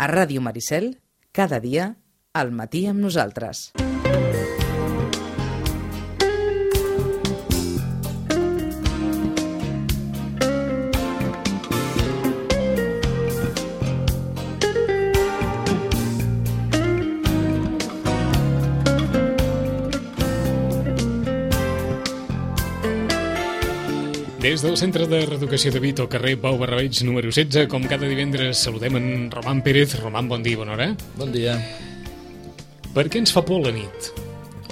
A Ràdio Maricel, cada dia, al matí amb nosaltres. Des del Centre de Reeducació de Vit, al carrer Pau Barrabeig, número 16, com cada divendres, saludem en Roman Pérez. Roman, bon dia, bona hora. Bon dia. Per què ens fa por la nit?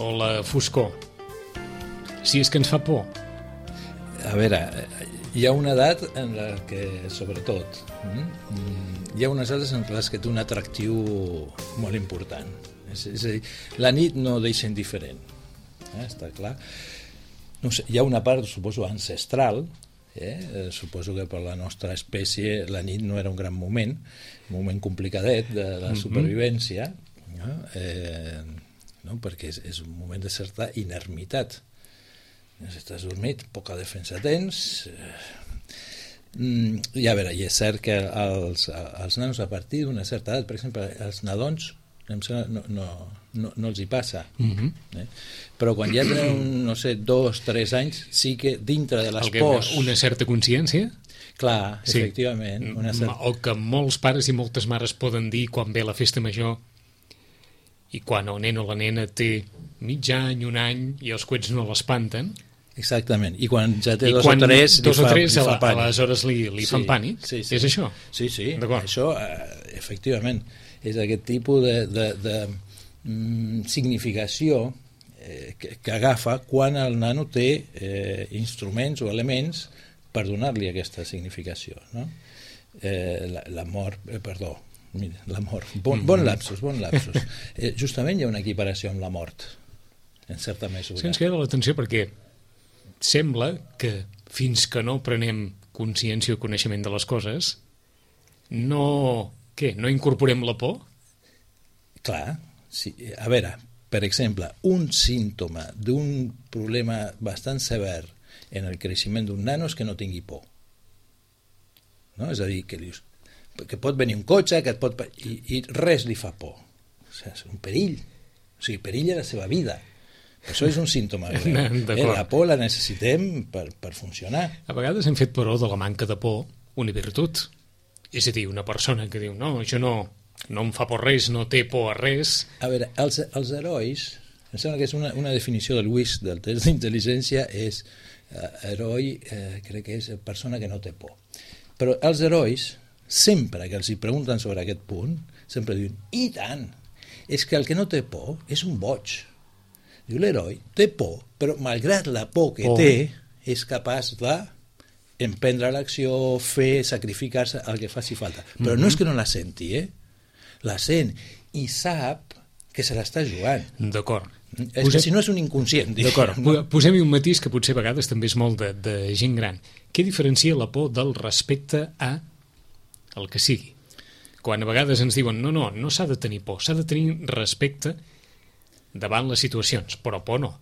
O la foscor? Si és que ens fa por. A veure, hi ha una edat en la que, sobretot, hi ha unes edat en les que té un atractiu molt important. És a dir, la nit no deixa indiferent, està clar. No sé, hi ha una part, suposo, ancestral, suposo que per la nostra espècie la nit no era un gran moment, un moment complicadet de la supervivència, no? Perquè és un moment de certa inermitat. Si estàs dormit, poca defensa tens. I a veure, i és cert que als nanos a partir d'una certa edat, per exemple, els nadons, no els hi passa, però quan ja tenen, no sé, 2-3 anys, sí que dintre de les pors... Una certa consciència? Clar, sí. Efectivament. O que molts pares i moltes mares poden dir quan ve la festa major i quan el nen o la nena té mig any, un any, i els coets no l'espanten. Exactament, i quan ja té dos o tres li fa pànic. Aleshores li fan pànic? Sí. És això? Sí, això, efectivament, és aquest tipus de significació que agafa quan el nano té instruments o elements per donar-li aquesta significació, no? La mort, bon lapsus. Justament hi ha una equiparació amb la mort, en certa mesura. Sí, ens queda l'atenció perquè sembla que fins que no prenem consciència o coneixement de les coses, no incorporem la por? Clar, sí. A veure, per exemple, un símptoma d'un problema bastant sever en el creixement d'un nano és que no tingui por. No? És a dir, que pot venir un cotxe i res li fa por. O sigui, és un perill. O sigui, perill a la seva vida. Això és un símptoma greu. La por la necessitem per funcionar. A vegades hem fet, però, de la manca de por una virtut. És a dir, una persona que diu, no, això no em fa por res, no té por a res. A veure, els herois, em sembla que és una definició del WIS, del test d'intel·ligència, és heroi, crec que és persona que no té por. Però els herois, sempre que els hi pregunten sobre aquest punt, sempre diuen, i tant, és que el que no té por és un boig. Diu, l'heroi té por, però malgrat la por que té, és capaç d'emprendre l'acció, fer, sacrificar-se, el que faci falta. Però no és que no la senti, la sent i sap que se l'està jugant. D'acord. És que si no és un inconscient. D'acord. Posem-hi un matís que potser a vegades també és molt de gent gran. Què diferencia la por del respecte a el que sigui? Quan a vegades ens diuen no s'ha de tenir por, s'ha de tenir respecte davant les situacions, però por no.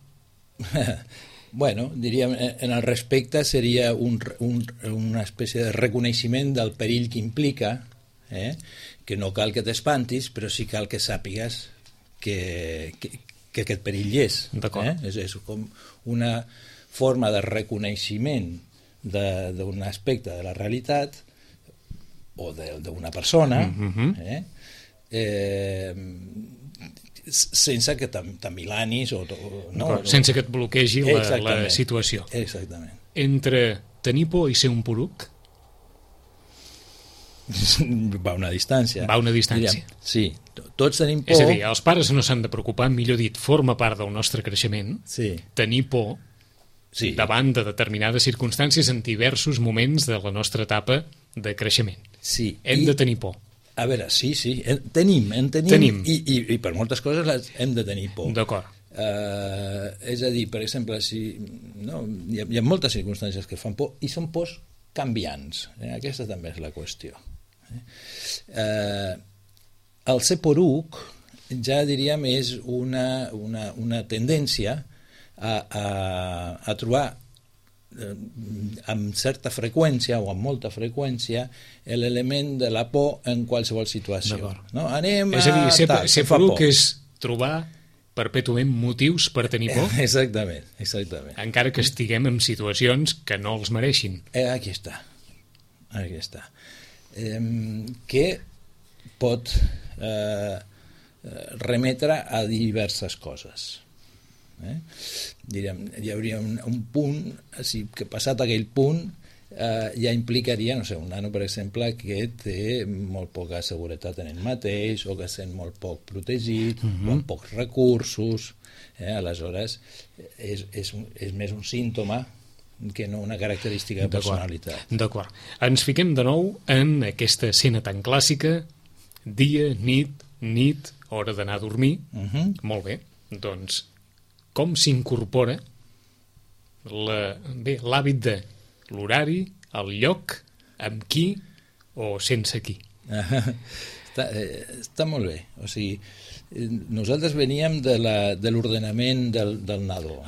Bueno, diríem, en el respecte seria una espècie de reconeixement del perill que implica, que no cal que t'espantis, però sí cal que sàpigues que aquest perill hi és. És com una forma de reconeixement d'un aspecte de la realitat o d'una persona, sense que t'amilanis sense que et bloquegi la situació. Exactament. Entre tenir por i ser un poruc va una distància. Sí, tots tenim por. És a dir, els pares no s'han de preocupar, millor dit, forma part del nostre creixement, tenir por davant de determinades circumstàncies en diversos moments de la nostra etapa de creixement. Hem de tenir por. A veure, sí, en tenim. I per moltes coses hem de tenir por. D'acord. És a dir, per exemple, hi ha moltes circumstàncies que fan por i són pors canviants. Aquesta també és la qüestió. El ser poruc ja diríem és una tendència a trobar amb certa freqüència o amb molta freqüència l'element de la por en qualsevol situació. No? Anem és a dir, ser poruc és trobar perpètuament motius per tenir por? Exactament. Encara que estiguem en situacions que no els mereixin. Aquí està. Que pot remetre a diverses coses. Diríem, hi hauria un punt, que passat aquell punt ja implicaria, no sé, un nano, per exemple, que té molt poca seguretat en ell mateix o que es sent molt poc protegit o amb pocs recursos. Aleshores, és més un símptoma que no una característica de personalitat. D'acord. Ens fiquem de nou en aquesta escena tan clàssica: dia, nit, hora d'anar a dormir. Molt bé. Doncs, com s'incorpora l'hàbit de l'horari, el lloc, amb qui o sense qui? Està molt bé. O sigui, nosaltres veníem de l'ordenament del nadó.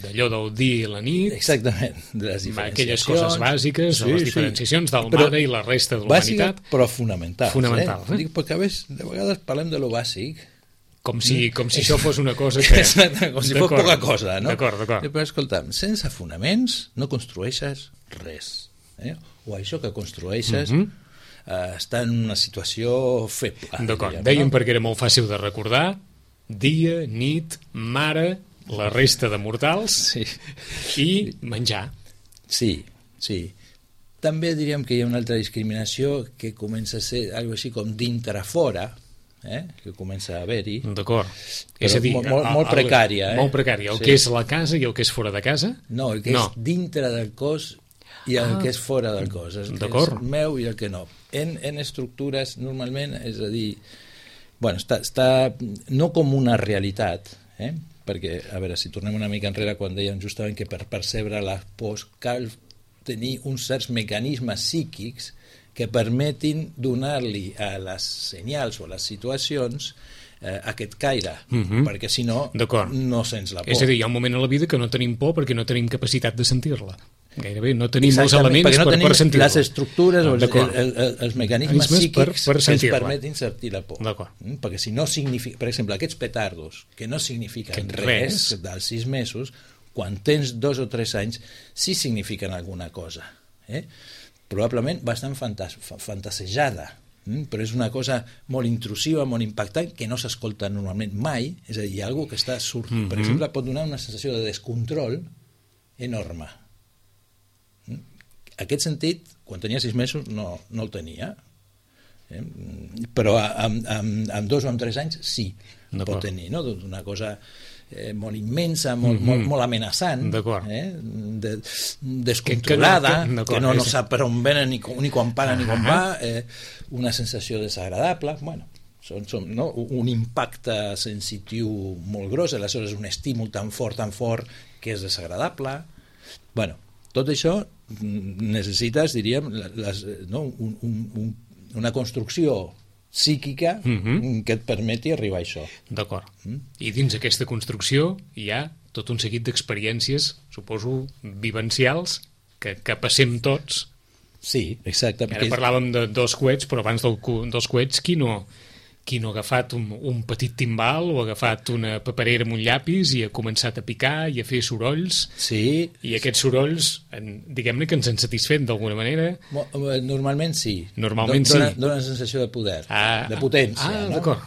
D'allò del dia i la nit. Exactament. De les diferenciacions. Aquelles coses bàsiques, de les diferenciacions del mare i la resta de l'humanitat. Bàsiques, però fonamentals. Dic, perquè de vegades parlem de lo bàsic, com si això fos una cosa que... com si fos poca cosa, no? D'acord. Però escolta'm, sense fonaments no construeixes res. O això que construeixes està en una situació feble. D'acord, dèiem perquè era molt fàcil de recordar: dia, nit, mare, la resta de mortals i menjar. Sí. També diríem que hi ha una altra discriminació que comença a ser alguna cosa així com dintre-fora, que comença a haver-hi. D'acord. És a dir, molt precària. Molt precària. El que és la casa i el que és fora de casa? No, el que és dintre del cos i el que és fora del cos. El que és meu i el que no. En estructures, normalment, és a dir, està no com una realitat, perquè, a veure, si tornem una mica enrere quan dèiem justament que per percebre les pors cal tenir uns certs mecanismes psíquics que permetin donar-li a les senyals o a les situacions aquest caire, perquè si no, no sents la por. És a dir, hi ha un moment a la vida que no tenim por perquè no tenim capacitat de sentir-la. Gairebé no tenim els elements per sentir-la. Les estructures o els mecanismes psíquics que ens permetin sentir la por. Perquè si no significa, per exemple, aquests petardos, que no signifiquen res dels 6 mesos, quan tens 2 o 3 anys, sí signifiquen alguna cosa. Probablement bastant fantasejada, però és una cosa molt intrusiva, molt impactant, que no s'escolta normalment mai. És a dir, hi ha alguna que està sortint. Per exemple, pot donar una sensació de descontrol enorme. Aquest sentit, quan tenia 6 mesos, no el tenia. Però amb 2 o amb 3 anys sí, pot tenir, no? Una cosa molt immensa, molt amenaçant, descontrolada, que no sap per on venen ni quan para ni quan va, una sensació desagradable, un impacte sensitiu molt gros, aleshores un estímul tan fort que és desagradable. Tot això necessites, diríem, una construcció psíquica que et permeti arribar a això. D'acord. I dins aquesta construcció hi ha tot un seguit d'experiències, suposo, vivencials, que passem tots. Sí, exacte. Ara parlàvem de 2 coets, però abans dels coets, qui no ha agafat un petit timbal o ha agafat una paperera amb un llapis i ha començat a picar i a fer sorolls? Sí. I aquests sorolls, diguem-ne que ens han satisfet d'alguna manera? Normalment sí. Normalment sí. Dona una sensació de poder, de potència. D'acord.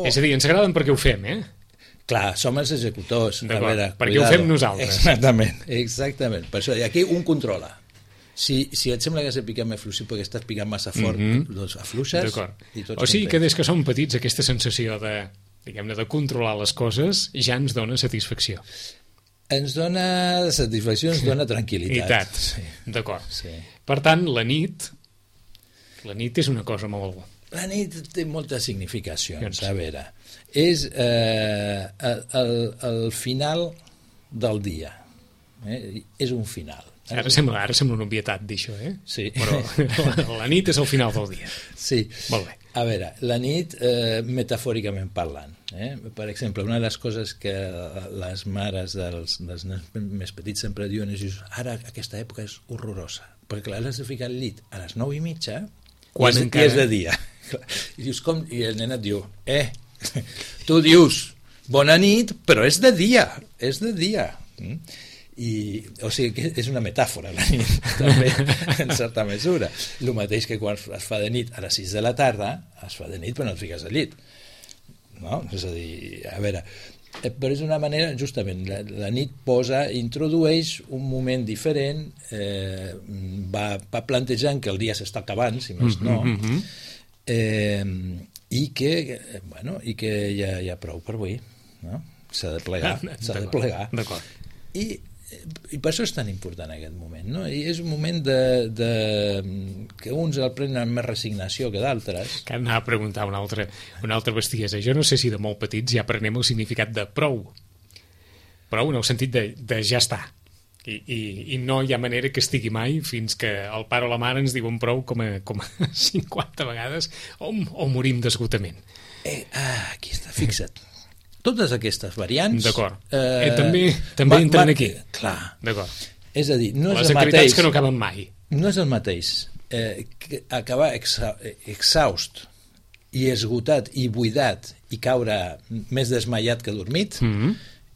És a dir, ens agraden perquè ho fem, Clar, som els executors. D'acord, perquè ho fem nosaltres. Exactament. Per això, i aquí un controla. Si et sembla que has de picar més fluix perquè estàs picant massa fort, doncs afluixes i tots o sigui que des que som petits aquesta sensació de, diguem-ne, de controlar les coses ja ens dona satisfacció. Ens dona satisfacció, ens dona tranquil·litat. D'acord. Per tant, la nit és una cosa molt... La nit té moltes significacions. A veure, és el final del dia. És un final. Ara sembla una obvietat dir això, Sí. Però la nit és el final del dia. Sí. Molt bé. A veure, la nit, metafòricament parlant, per exemple, una de les coses que les mares dels nens més petits sempre diuen és ara aquesta època és horrorosa, perquè clar, l'has de ficar al llit a les 9:30 quan i és de dia. I dius com? I el nen et diu, tu dius bona nit, però és de dia, o sigui que és una metàfora la nit també, en certa mesura, el mateix que quan es fa de nit a les 6 de la tarda es fa de nit però no et fiques al llit, no? És a dir, a veure, però és una manera, justament la nit introdueix un moment diferent, va plantejant que el dia s'està acabant, si més no, i que ja hi ha prou per avui, no? S'ha de plegar. D'acord. I per això és tan important aquest moment, no? I és un moment que uns el prenen amb més resignació que d'altres. Que anava a preguntar una altra bestiesa. Jo no sé si de molt petits ja aprenem el significat de prou en el sentit de ja està, i no hi ha manera que estigui mai fins que el pare o la mare ens diuen prou com a 50 vegades o morim d'esgotament. Aquí està, fixa't. Totes aquestes variants... D'acord. També entren aquí. Clar. D'acord. És a dir, no és les el mateix... activitats que no acaben mai. No és el mateix acabar exhaust i esgotat i buidat i caure més desmaiat que dormit.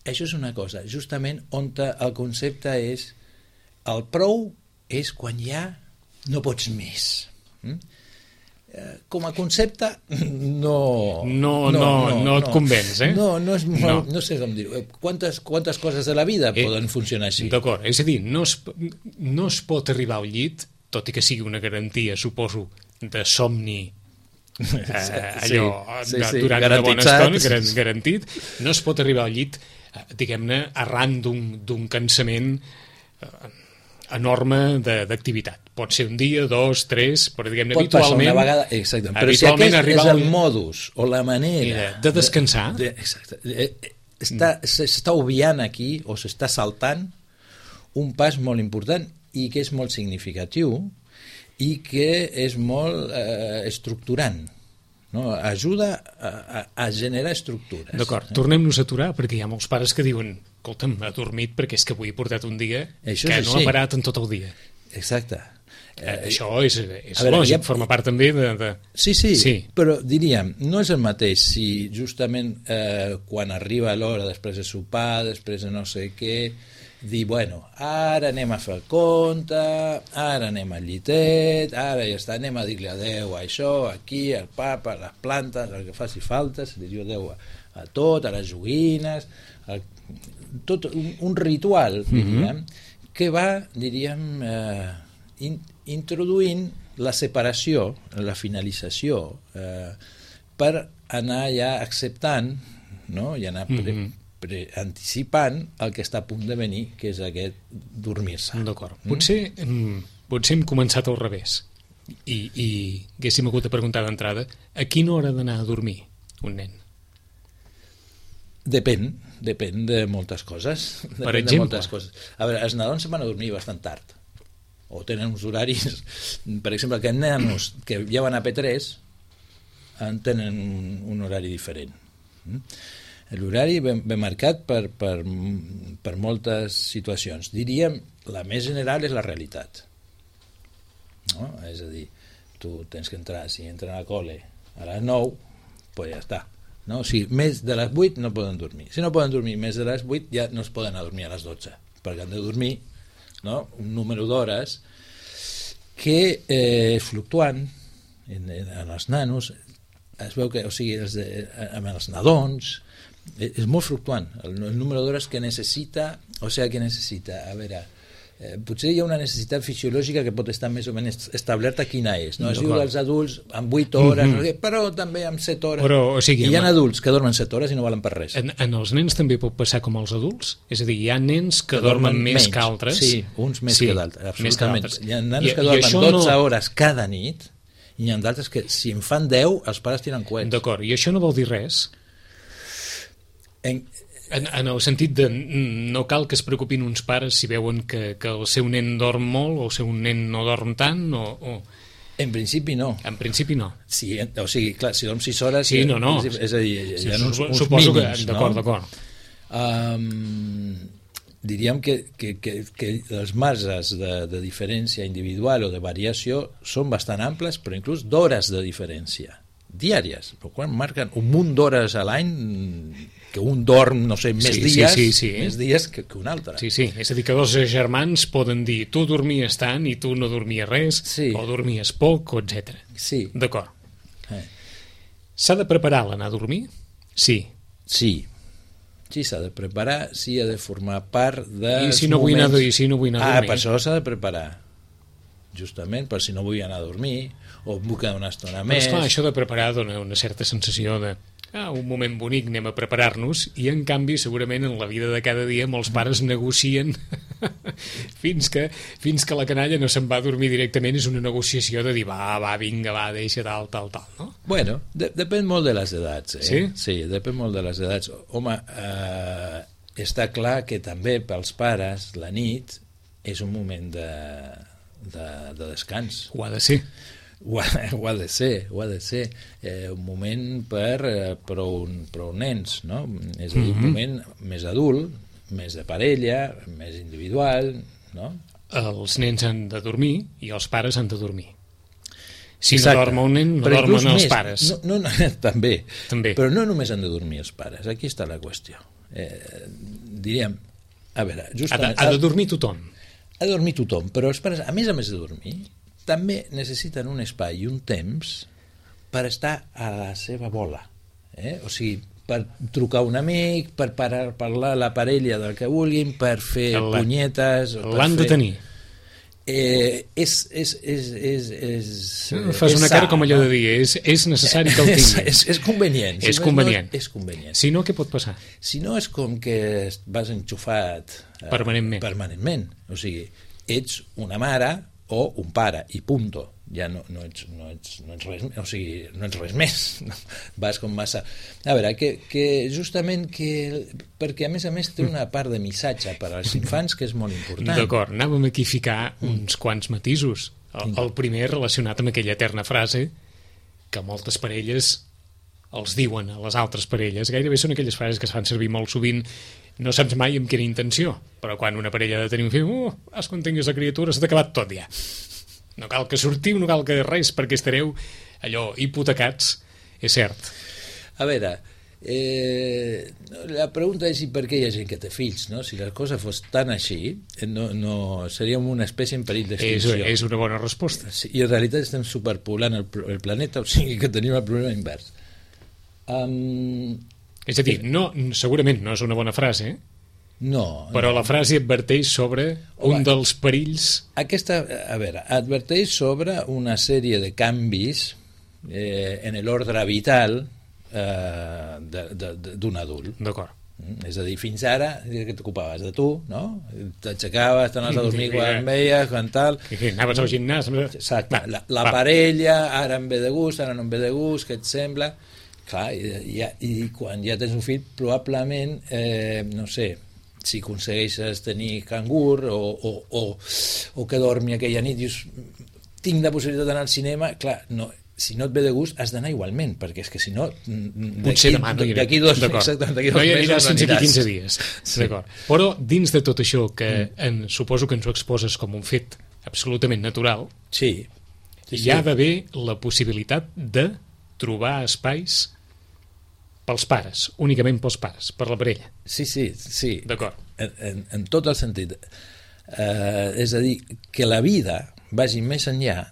Això és una cosa. Justament on el concepte és el prou és quan ja no pots més. Com a concepte no et convenç, no sé com dir-ho. Quantes coses de la vida poden funcionar així? D'acord, és a dir, no es pot arribar al llit, tot i que sigui una garantia, suposo, de somni durant una bona estona, garantit, no es pot arribar al llit, diguem-ne, arran d'un cansament enorme d'activitat. Pot ser un dia, 2, 3, però diguem-ne habitualment... Pot passar una vegada, exactament. Però si aquest és el modus o la manera... De descansar... S'està obviant aquí, o s'està saltant, un pas molt important i que és molt significatiu i que és molt estructurant. No? Ajuda a generar estructures. D'acord, tornem-nos a aturar perquè hi ha molts pares que diuen escolta'm, ha dormit perquè és que avui he portat un dia que no ha parat en tot el dia. Exacte. Això és lògic, forma part també de... Sí, però diríem, no és el mateix si justament quan arriba l'hora després de sopar, després de no sé què, dir, bueno, ara anem a fer compte, ara anem al llitet, ara ja està, anem a dir-li adeu a això, aquí, al papa, a les plantes, el que faci falta, se li diu adeu a tot, a les joguines, tot un ritual, diríem, que va, diríem, introduint la separació, la finalització, per anar ja acceptant, no? I anar anticipant el que està a punt de venir, que és aquest dormir-se. D'acord. Potser hem començat al revés i haguéssim hagut de preguntar d'entrada a quina hora d'anar a dormir un nen? Depèn de moltes coses. Per exemple? A veure, els nadons se van a dormir bastant tard, o tenen uns horaris, per exemple, que nanos que ja van a P3 tenen un horari diferent. L'horari ben marcat per moltes situacions. Diríem, la més general és la realitat. No? És a dir, tu tens que entrar, si entren a col·le a les 9, pues ja està. No? O sigui, més de les 8 no poden dormir. Si no poden dormir més de les 8, ja no es poden adormir a les 12, perquè han de dormir, no? Un número d'hores que és fluctuant en els nanos. Es veu que, o sigui, amb els nadons és molt fluctuant el número d'hores que necessita, o sigui, que necessita, a veure, potser hi ha una necessitat fisiològica que pot estar més o menys establerta quina és, no? Es diu als adults amb 8 hores, però també amb 7 hores, però, o sigui, i hi ha adults que dormen 7 hores i no valen per res. En els nens també pot passar com als adults? És a dir, hi ha nens que dormen més que altres? Sí, uns més que d'altres, absolutament. Hi ha nens que dormen 12 hores cada nit i hi ha d'altres que si en fan 10 els pares tiren coets. D'acord, i això no vol dir res? En el sentit de no cal que es preocupin uns pares si veuen que el seu nen dorm molt o el seu nen no dorm tant o... En principi no. En principi no. Sí, o sigui, clar, si dorm 6 hores... Sí, no. És a dir, hi ha uns suposo mínims, que... D'acord. Diríem que els marges de diferència individual o de variació són bastant amples, però inclús d'hores de diferència diàries, quan marquen un munt d'hores a l'any que un dorm, no sé, més dies que un altre. Sí, és a dir, que dos germans poden dir tu dormies tant i tu no dormies res, o dormies poc, etc. Sí. D'acord. S'ha de preparar l'anar a dormir? Sí, s'ha de preparar, sí, ha de formar part dels I si no vull anar a dormir? Per això s'ha de preparar. Justament per si no vull anar a dormir o em vull quedar una estona més. Però esclar, això de preparar dona una certa sensació de un moment bonic, anem a preparar-nos, i en canvi segurament en la vida de cada dia molts pares negocien fins que la canalla no se'n va a dormir directament. És una negociació de dir vinga, deixa tal, no? Bueno, depèn molt de les edats, Sí? Sí, depèn molt de les edats. Home, està clar que també pels pares la nit és un moment de descans. Ho ha de ser. Ho ha de ser un moment per prou nens, no? És a dir, un moment més adult, més de parella, més individual, no? Els nens han de dormir i els pares han de dormir. Si Exacte. no dorm un nen, no dormen els pares. També, però no només han de dormir els pares, aquí està la qüestió. Diríem, a veure, ha de dormir tothom. Ha de dormir tothom, però els pares, a més de dormir, també necessiten un espai i un temps per estar a la seva bola. O sigui, per trucar a un amic, per parlar a la parella del que vulguin, per fer punyetes... L'han de tenir. Fas una cara com allò de dir, és necessari que el tinguin. És convenient. És convenient. És convenient. Si no, què pot passar? Si no, és com que vas enxufat permanentment. O sigui, ets una mare o un pare, i punto. Ja no ets res, o sigui, no ets res més. Vas com massa... A veure, que justament perquè a més té una part de missatge per als infants que és molt important. D'acord, anàvem aquí a ficar uns quants matisos. El primer relacionat amb aquella eterna frase que moltes parelles els diuen a les altres parelles. Gairebé són aquelles frases que es fan servir molt sovint. No saps mai amb quina intenció, però quan una parella ha de tenir un fill, quan tinguis la criatura s'ha acabat tot ja. No cal que sortiu, no cal que res, perquè estareu allò hipotecats, és cert. A veure, la pregunta és per què hi ha gent que té fills, no? Si la cosa fos tan així, no seríem una espècie en perill d'extinció. És una bona resposta. Sí, i en realitat estem superpoblant el planeta, o sigui que tenim el problema invers. És a dir, segurament no és una bona frase, No. Però la frase adverteix sobre un dels perills... Adverteix sobre una sèrie de canvis en l'ordre vital d'un adult. D'acord. És a dir, fins ara, que t'ocupaves de tu, no? T'aixecaves, t'anaves a dormir quan em veies, quan tal... Anaves al gimnàs... Exacte. La parella, ara em ve de gust, ara no em ve de gust, què et sembla? Clar, i quan ja tens un fill, probablement, no sé... si aconsegueixes tenir cangur o que dormi aquella nit, dius, tinc la possibilitat d'anar al cinema, clar, no, si no et ve de gust has d'anar igualment, perquè és que si no potser demà no iré. D'aquí dos mesos no hi aniràs sense aquí 15 dies. Sí. D'acord. Però dins de tot això que suposo que ens ho exposes com un fet absolutament natural, hi ha d'haver la possibilitat de trobar espais pels pares, únicament pels pares, per la parella. Sí. D'acord. En tot el sentit. És a dir, que la vida vagi més enllà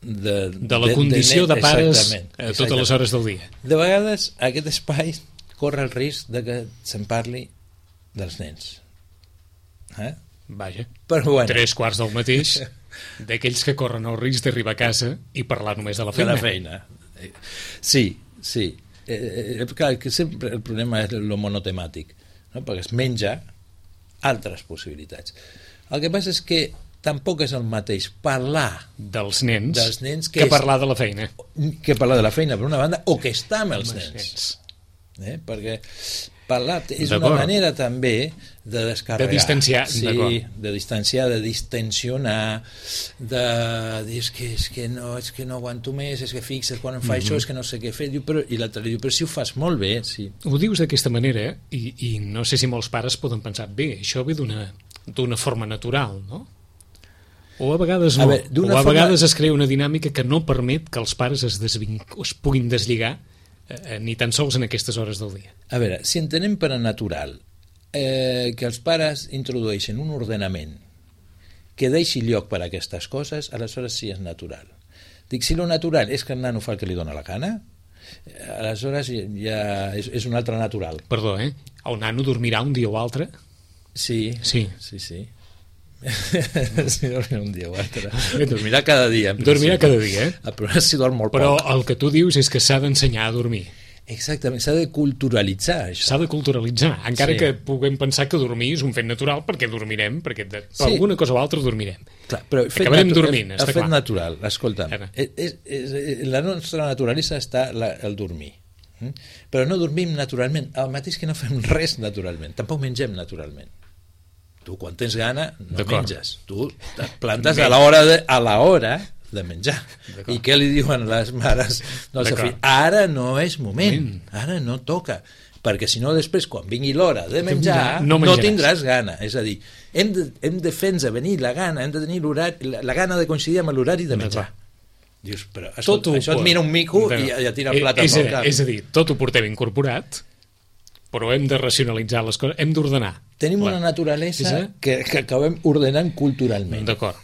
de la condició de pares a totes les hores del dia. De vegades aquest espai corre el risc de que se'n parli dels nens. Vaja, però bueno. 3:15 del mateix, d'aquells que corren el risc d'arribar a casa i parlar només de la feina. De la feina. Sí. Clar, que sempre el problema és el monotemàtic, no? Perquè es menja altres possibilitats. El que passa és que tampoc és el mateix parlar dels nens que parlar de la feina. Que parlar de la feina, per una banda, o que estar amb els nens. parlar és una manera també de descarregar. De distanciar, sí, de distanciar, de distensionar, de dir és que no aguanto més, és que fixa't quan em fa això, és que no sé què fer, i l'altre diu, però si ho fas molt bé, sí. Ho dius d'aquesta manera i no sé si molts pares poden pensar, bé, això ve d'una forma natural, no? O a vegades no, o a vegades es crea una dinàmica que no permet que els pares es puguin deslligar ni tan sols en aquestes hores del dia. A veure, si entenem per a natural que els pares introdueixen un ordenament que deixi lloc per a aquestes coses, aleshores sí és natural. Dic, si lo natural és que el nano fa el que li dona la gana, aleshores ja és un altre natural. Perdó, el nano dormirà un dia o altre? Sí. Sí, dormirà un dia o altre. Dormirà cada dia. Dormirà cada dia, Però si dorm molt Però poc. el que tu dius és que s'ha d'ensenyar a dormir. Exactament, s'ha de culturalitzar això. S'ha de culturalitzar, encara que puguem pensar que dormir és un fet natural, perquè dormirem, perquè per alguna cosa o altra dormirem. Clar, però acabarem dormint, està clar. El fet natural, escolta'm, la nostra naturalesa està el dormir. Però no dormim naturalment, el mateix que no fem res naturalment, tampoc mengem naturalment. Tu quan tens gana no menges, tu et plantes a l'hora de menjar. I què li diuen les mares del seu fill? Ara no és moment, ara no toca, perquè si no després quan vingui l'hora de menjar no tindràs gana. És a dir, hem de fer-nos venir la gana, hem de tenir la gana de coincidir amb l'horari de menjar. Dius, però això et mira un mico i ja tira el plat al cap. És a dir, tot ho portem incorporat, però hem de racionalitzar les coses, hem d'ordenar. Tenim una naturalesa que acabem ordenant culturalment. D'acord.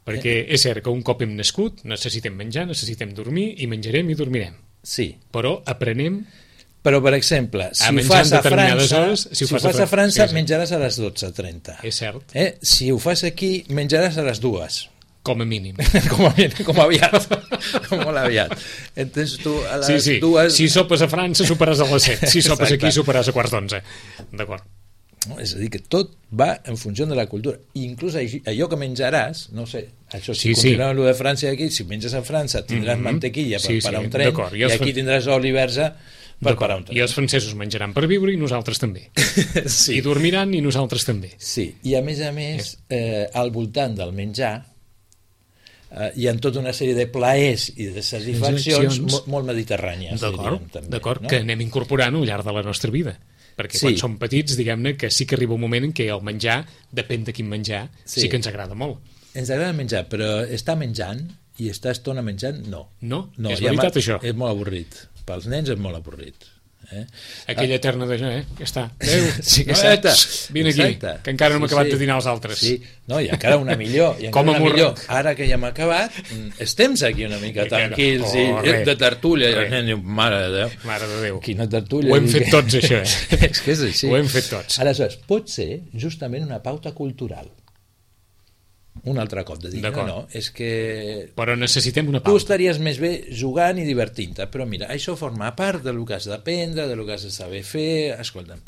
Perquè és cert que un cop hem nascut necessitem menjar, necessitem dormir i menjarem i dormirem. Sí. Però aprenem... Però, per exemple, si ho fas a França, menjaràs a les 12:30. És cert. Si ho fas aquí, menjaràs a les 2. Com a mínim. com aviat. Molt aviat. Entens tu a les 2... Si sopes a França, soparàs a les 7. Si sopes aquí, soparàs a 11:15. D'acord. No, és a dir, que tot va en funció de la cultura. I inclús allò que menjaràs, no sé, això si continuem amb el de França aquí, si menges a França tindràs mantequilla per parar un tren i aquí tindràs oli verge per parar un tren. I els francesos menjaran per viure i nosaltres també. I dormiran i nosaltres també. Sí, i a més, al voltant del menjar hi ha tota una sèrie de plaers i de satisfaccions molt mediterrànies. D'acord, que anem incorporant al llarg de la nostra vida. Perquè quan som petits, diguem-ne que sí que arriba un moment en què el menjar, depèn de quin menjar, sí que ens agrada molt. Ens agrada menjar, però estar menjant i estar estona menjant, no. No, és veritat això. És molt avorrit. Pels nens és molt avorrit. Aquella eterna de ja està. Adéu, vine aquí, que encara no hem acabat de dinar els altres. Sí, no, i encara una millor. Ara que ja hem acabat, estem aquí una mica tranquils de tertúlia. I el nen diu, mare de Déu. Quina tertúlia. Ho hem fet tots, això. És que és així. Ho hem fet tots. Aleshores, pot ser justament una pauta cultural. Un altre cop de dir, no, és que... Però necessitem una pauta. Tu estaries més bé jugant i divertint-te, però mira, això forma part del que has d'aprendre, del que has de saber fer, escolta'm.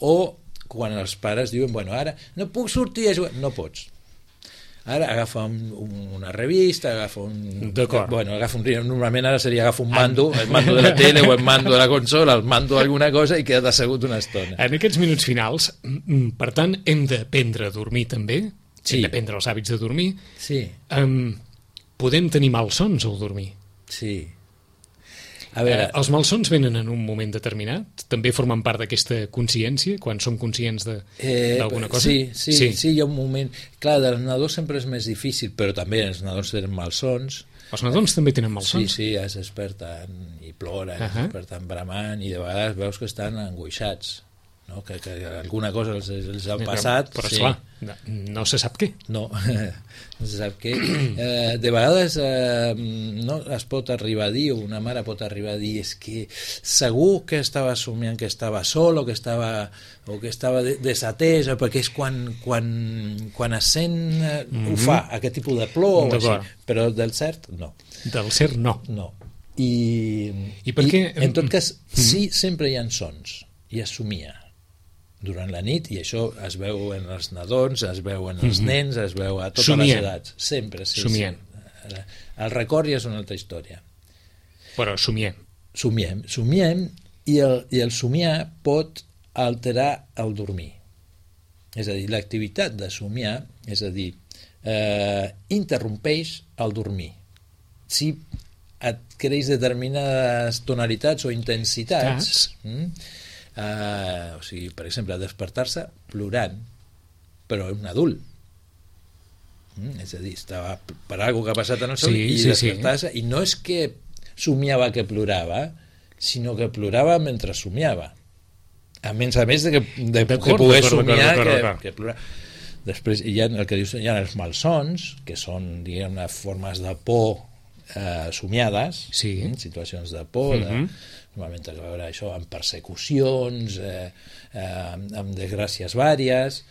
O quan els pares diuen, bueno, ara no puc sortir a jugar, no pots. Ara agafa una revista, agafa un... D'acord. Bueno, normalment ara seria agafa un mando, el mando de la tele o el mando de la consola, el mando d'alguna cosa i queda't assegut una estona. En aquests minuts finals, per tant, hem d'aprendre a dormir també, hem d'aprendre els hàbits de dormir. Sí. Podem tenir malsons al dormir. Sí. A veure... Els malsons venen en un moment determinat? També formen part d'aquesta consciència, quan som conscients d'alguna cosa? Sí, hi ha un moment... Clar, dels nadons sempre és més difícil, però també els nadons tenen malsons. Els nadons també tenen malsons? Sí, es desperten i ploren, es desperten bramant, i de vegades veus que estan angoixats, no? Que alguna cosa els ha passat. Però esclar, no se sap què. No se sap què. De vegades no es pot arribar a dir, o una mare pot arribar a dir, és que segur que estava somiant que estava sol o que estava desatès, perquè és quan es sent ho fa, aquest tipus de plor o així, però del cert no. Del cert no. I per què? En tot cas, sí, sempre hi ha sons i es somia durant la nit, i això es veu en els nadons, es veu en els nens, es veu a totes les edats. Sempre, sí. Somiem. El record ja és una altra història. Però somiem. Somiem I el somiar pot alterar el dormir. És a dir, l'activitat de somiar, és a dir, interrompeix el dormir. Si adquireix determinades tonalitats o intensitats, o sigui, per exemple, despertar-se plorant, però un adult. És a dir, estava per alguna que ha passat en el somni i despertar-se, i no és que somiava que plorava, sinó que plorava mentre somiava. A més de poder somiar que plorava. Després hi ha el que dius, hi ha els malsons, que són, diguem, formes de por somiades, situacions de por, normalment a veure això amb persecucions, amb desgràcies vàries,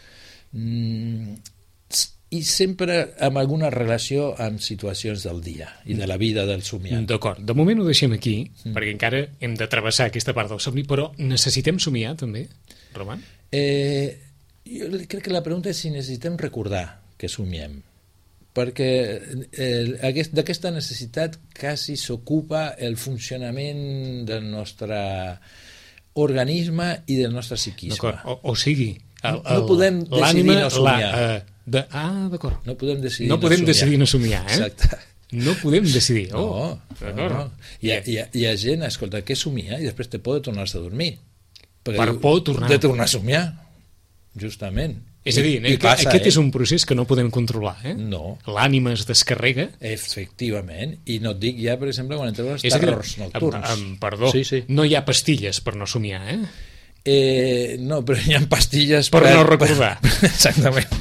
i sempre amb alguna relació amb situacions del dia i de la vida del somiat. D'acord, de moment ho deixem aquí, perquè encara hem de travessar aquesta part del somni, però necessitem somiar també, Roman? Jo crec que la pregunta és si necessitem recordar que somiem, perquè d'aquesta necessitat quasi s'ocupa el funcionament del nostre organisme i del nostre psiquisme. D'acord, o sigui, no podem decidir no somiar. D'acord. No podem decidir no somiar, Exacte. No podem decidir. No. Hi ha gent, escolta, que somia i després té por de tornar-se a dormir. Per por de tornar a somiar. Justament. És a dir, aquest és un procés que no podem controlar, No. L'ànima es descarrega. Efectivament. I no et dic ja, per exemple, quan entreu als terrors nocturns. Perdó, no hi ha pastilles per no somiar, no, però hi ha pastilles per no recordar. Exactament.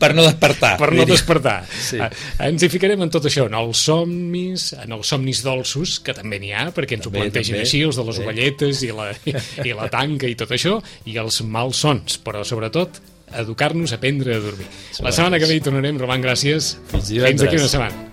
Per no despertar. Per no despertar. Sí. Ens hi ficarem en tot això, en els somnis dolços, que també n'hi ha, perquè ens ho plantegen així, els de les ovelletes i la tanca i tot això, i els malsons, però sobretot educar-nos a aprendre a dormir. La setmana que ve hi tornarem. Roman, gràcies. Fins d'aquí una setmana.